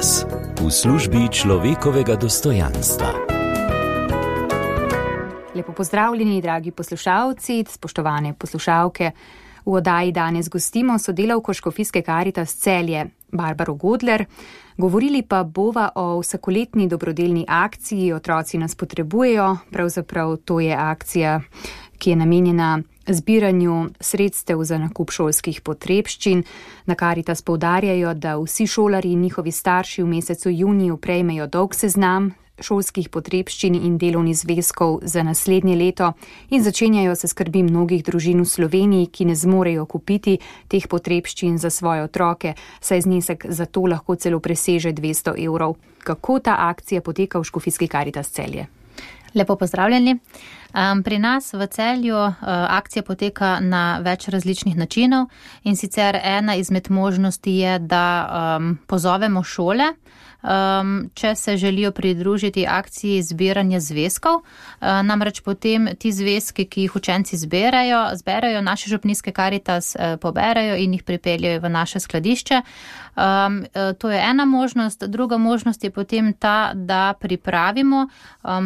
Karitas v službi človekovega dostojanstva. Lepo pozdravljeni, dragi poslušalci, spoštovane poslušalke. V oddaji danes gostimo sodelavko Škofijske Karitas Celje, Barbaro Godler. Govorili pa bova o vsakoletni dobrodelni akciji Otroci nas potrebujejo. Pravzaprav to je akcija, ki je namenjena zbiranju sredstev za nakup šolskih potrebščin. Na Karitas poudarjajo, da vsi šolarji in njihovi starši v mesecu juniju prejmejo dolg seznam šolskih potrebščin in delovnih zvezkov za naslednje leto in začenjajo se skrbi mnogih družin v Sloveniji, ki ne zmorejo kupiti teh potrebščin za svoje otroke, saj znesek za to lahko celo preseže 200 evrov. Kako ta akcija poteka v Škofijski Karitas Celje? Lepo pozdravljeni. Pri nas v Celju akcija poteka na več različnih načinov in sicer ena izmed možnosti je, da pozovemo šole, če se želijo pridružiti akciji zbiranja zvezkov. Namreč potem ti zvezki, ki jih učenci zberajo, naše župnijske Karitas poberajo in jih pripeljajo v naše skladišče. To je ena možnost. Druga možnost je potem ta, da pripravimo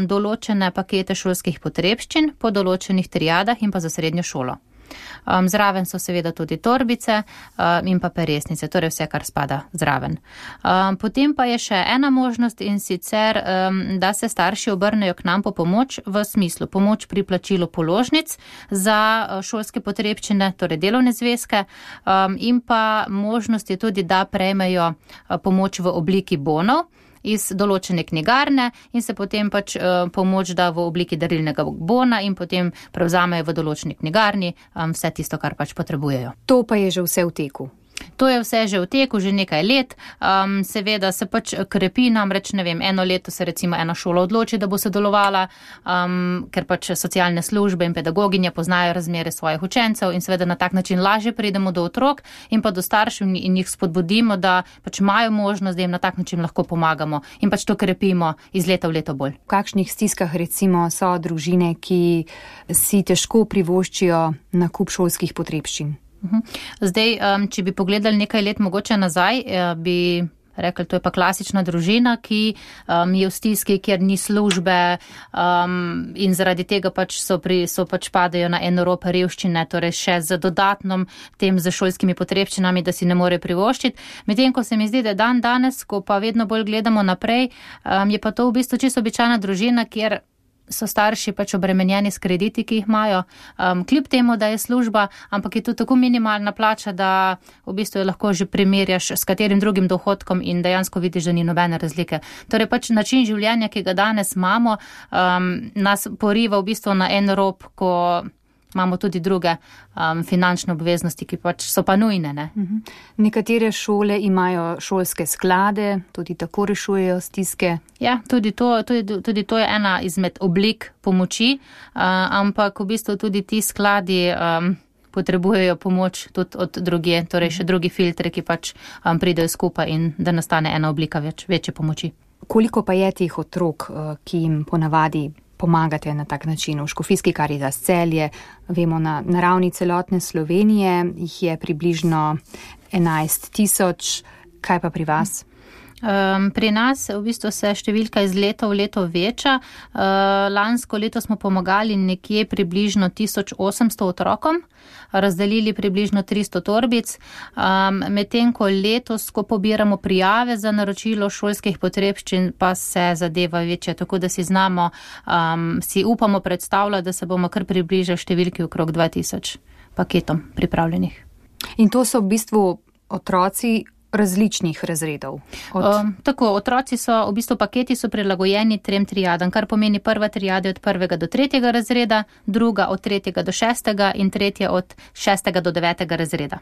določene pakete šolskih potrebščin po določenih triadah in pa za srednjo šolo. Zraven so seveda tudi torbice in pa peresnice, torej vse, kar spada zraven. Potem pa je še ena možnost in sicer, da se starši obrnejo k nam po pomoč v smislu pomoč pri plačilu položnic za šolske potrebščine, torej delovne zvezke, in pa možnost je tudi, da prejmejo pomoč v obliki bonov iz določene knjigarne in se potem pomoč da v obliki darilnega bona in potem prevzamejo v določeni knjigarni vse tisto, kar potrebujejo. To pa je že vse v teku. To je vse že v teku, že nekaj let. Seveda se krepi, namreč eno leto se recimo ena šola odloči, da bo sodelovala, ker socialne službe in pedagoginje poznajo razmere svojih učencev in seveda na tak način lažje pridemo do otrok in pa do staršev in jih spodbudimo, da imajo možnost, da jim na tak način lahko pomagamo in to krepimo iz leta v leto bolj. V kakšnih stiskah recimo so družine, ki si težko privoščijo nakup šolskih potrebščin? Zdaj, če bi pogledali nekaj let mogoče nazaj, bi rekli, to je pa klasična družina, ki je v stiski, kjer ni službe in zaradi tega padajo na en rob revščine, torej še z dodatnom tem za šolskimi potrebščinami, da si ne more privoščiti. Medtem ko se mi zdi, da danes, ko pa vedno bolj gledamo naprej, je pa to v bistvu čisto običajna družina, kjer so starši obremenjeni s krediti, ki jih imajo, kljub temu, da je služba, ampak je to tako minimalna plača, da v bistvu jo lahko že primerjaš s katerim drugim dohodkom in dejansko vidiš, da ni nobene razlike. Torej način življenja, ki ga danes imamo, nas poriva v bistvu na en rob, ko imamo tudi druge finančne obveznosti, ki so pa nujne. Ne? Nekatere šole imajo šolske sklade, tudi tako rešujejo stiske. Ja, tudi to je ena izmed oblik pomoči, ampak v bistvu tudi ti skladi potrebujejo pomoč tudi od drugje, torej še drugi filtri, ki pridejo skupaj in da nastane ena oblika večje pomoči. Koliko pa je teh otrok, ki jim ponavadi pomagate na tak način? V Škofijski Karitas Celje, vemo, na ravni celotne Slovenije jih je približno 11,000. Kaj pa pri vas? Pri nas v bistvu se številka iz leta v leto veča. Lansko leto smo pomagali nekje približno 1800 otrokom, razdelili približno 300 torbic, medtem ko letos, ko pobiramo prijave za naročilo šolskih potrebščin, pa se zadeva večja, tako da si upamo predstavljati, da se bomo kar približali številki okrog 2000 paketom pripravljenih. In to so v bistvu otroci različnih razredov. Tako, otroci so, v bistvu paketi so prilagojeni 3 triadam, kar pomeni prva triada od 1. do 3. razreda, druga od 3. do 6. in tretja od 6. do 9. razreda.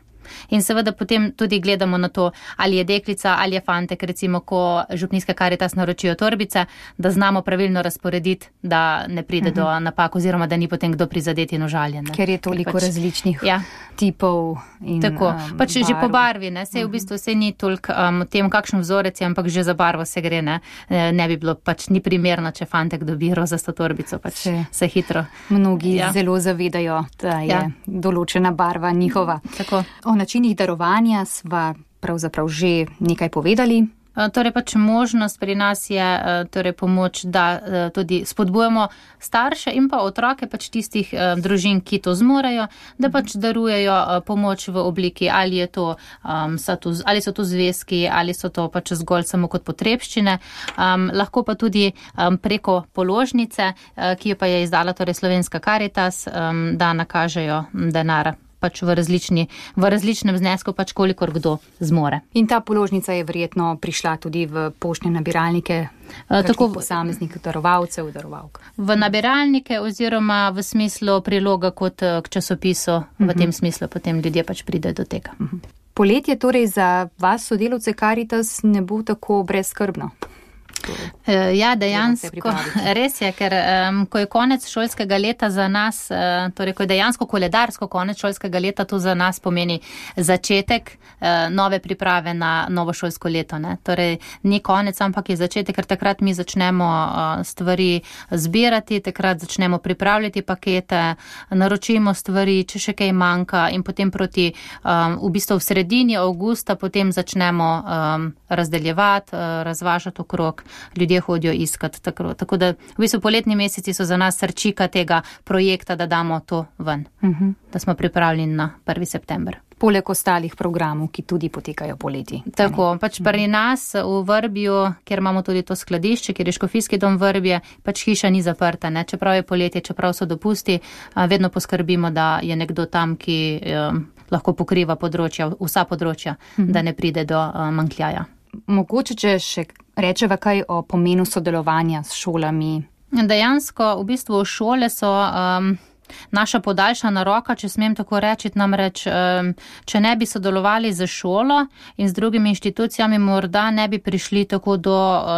In seveda potem tudi gledamo na to, ali je deklica ali je fantek, recimo, ko župnijske Karitas naročijo torbice, da znamo pravilno razporediti, da ne pride do napak oziroma da ni potem kdo prizadeti in užaljen. Ker je toliko različnih tipov in tako, barv. Že po barvi, ne, sej v bistvu se ni toliko o tem, kakšen vzorec je, ampak že za barvo se gre, ne. Ne bi bilo ni primerno, če fantek dobi rozasto torbico, se hitro. Mnogi zelo zavedajo, da je določena barva njihova. Tako. O načinih darovanja sva pravzaprav že nekaj povedali. Torej pač možnost pri nas je torej pomoč, da tudi spodbujamo starše in pa otroke pač tistih družin, ki to zmorejo, da pač darujejo pomoč v obliki, ali so to zvezki, ali so to pač zgolj samo kot potrebščine, lahko pa tudi preko položnice, ki jo pa je izdala torej Slovenska Karitas, da nakažejo denar pač v različnem znesku, pač kolikor kdo zmore. In ta položnica je verjetno prišla tudi v poštne nabiralnike posameznih darovalcev, darovalk. V nabiralnike oziroma v smislu priloga kot k časopisu, v tem smislu potem ljudje pač pridejo do tega. Poletje torej za vas, sodelavce Karitas, ne bo tako brezskrbno? Ja, dejansko, res je, ker ko je konec šolskega leta za nas, torej ko je dejansko koledarsko konec šolskega leta, to za nas pomeni začetek nove priprave na novo šolsko leto. Ne? Torej ni konec, ampak je začetek, ker takrat mi začnemo stvari zbirati, takrat začnemo pripravljati pakete, naročimo stvari, če še kaj manjka in potem proti v bistvu v sredini avgusta potem začnemo razdeljevati, razvažati okrog. Ljudje hodijo iskati. Tako da v bistvu poletni meseci so za nas srčika tega projekta, da damo to ven, da smo pripravljeni na 1. september. Poleg ostalih programov, ki tudi potekajo poleti. Tako, pač pri nas v Vrbju, kjer imamo tudi to skladišče, kjer je Škofijski dom Vrbje, pač hiša ni zaprta, ne? Čeprav je poletje, čeprav so dopusti, vedno poskrbimo, da je nekdo tam, ki lahko pokriva vsa področja, da ne pride do manjkljaja. Mogoče, če še rečeva kaj o pomenu sodelovanja s šolami? Dejansko, v bistvu šole so naša podaljšana roka, če smem tako reči, namreč, če ne bi sodelovali z šolo in z drugimi inštitucijami, morda ne bi prišli tako do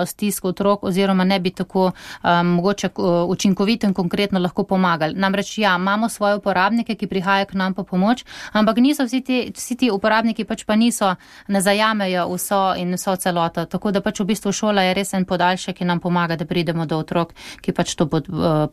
stisk otrok oziroma ne bi tako mogoče učinkovito in konkretno lahko pomagali. Namreč, ja, imamo svoje uporabnike, ki prihajajo k nam po pomoč, ampak niso vsi ti uporabniki pač pa ne zajamejo vso celoto. Tako da pač v bistvu šola je res en podaljšek, ki nam pomaga, da pridemo do otrok, ki pač to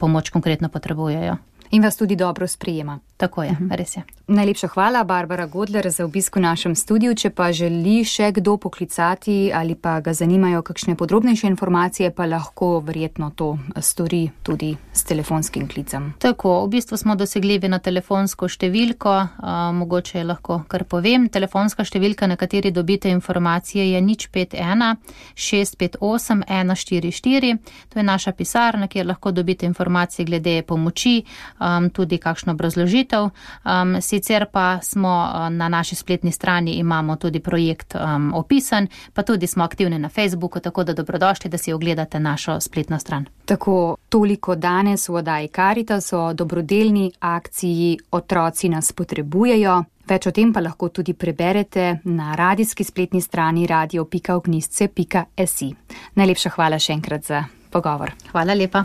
pomoč konkretno potrebujejo. In vas tudi dobro sprejema. Tako je, res je. Najlepša hvala, Barbara Godler, za obisk v našem studiu. Če pa želi še kdo poklicati ali pa ga zanimajo kakšne podrobnejše informacije, pa lahko verjetno to stori tudi s telefonskim klicem. Tako, v bistvu smo dosegljivi na telefonsko številko, mogoče je lahko kar povem. Telefonska številka, na kateri dobite informacije, je 051 658 144. To je naša pisarna, kjer lahko dobite informacije glede pomoči, tudi kakšno obrazložitev. Sicer pa smo na naši spletni strani, imamo tudi projekt opisan, pa tudi smo aktivni na Facebooku, tako da dobrodošli, da si ogledate našo spletno stran. Tako, toliko danes v oddaji Karitas o dobrodelni akciji Otroci nas potrebujejo. Več o tem pa lahko tudi preberete na radijski spletni strani radio.ognisce.si. Najlepša hvala še enkrat za pogovor. Hvala lepa.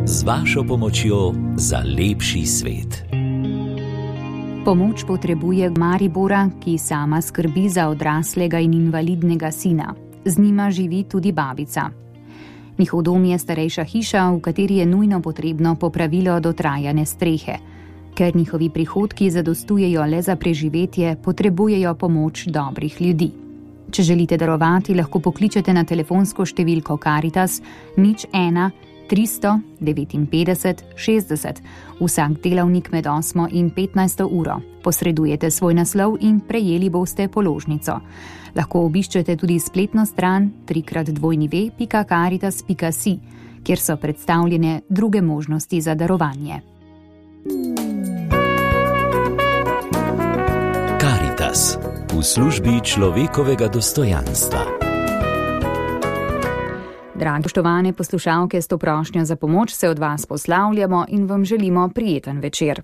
Z vašo pomočjo za lepši svet. Pomoč potrebuje Maribora, ki sama skrbi za odraslega in invalidnega sina. Z njima živi tudi babica. Njihov dom je starejša hiša, v kateri je nujno potrebno popravilo dotrajane strehe. Ker njihovi prihodki zadostujejo le za preživetje, potrebujejo pomoč dobrih ljudi. Če želite darovati, lahko pokličete na telefonsko številko Karitas 01 359 60 vsak delavnik med 8 in 15 uro. Posredujete svoj naslov in prejeli boste položnico. Lahko obiščete tudi spletno stran www.caritas.si, kjer so predstavljene druge možnosti za darovanje. Karitas v službi človekovega dostojanstva. Dragi poštovane poslušalke, s to prošnjo za pomoč se od vas poslavljamo in vam želimo prijeten večer.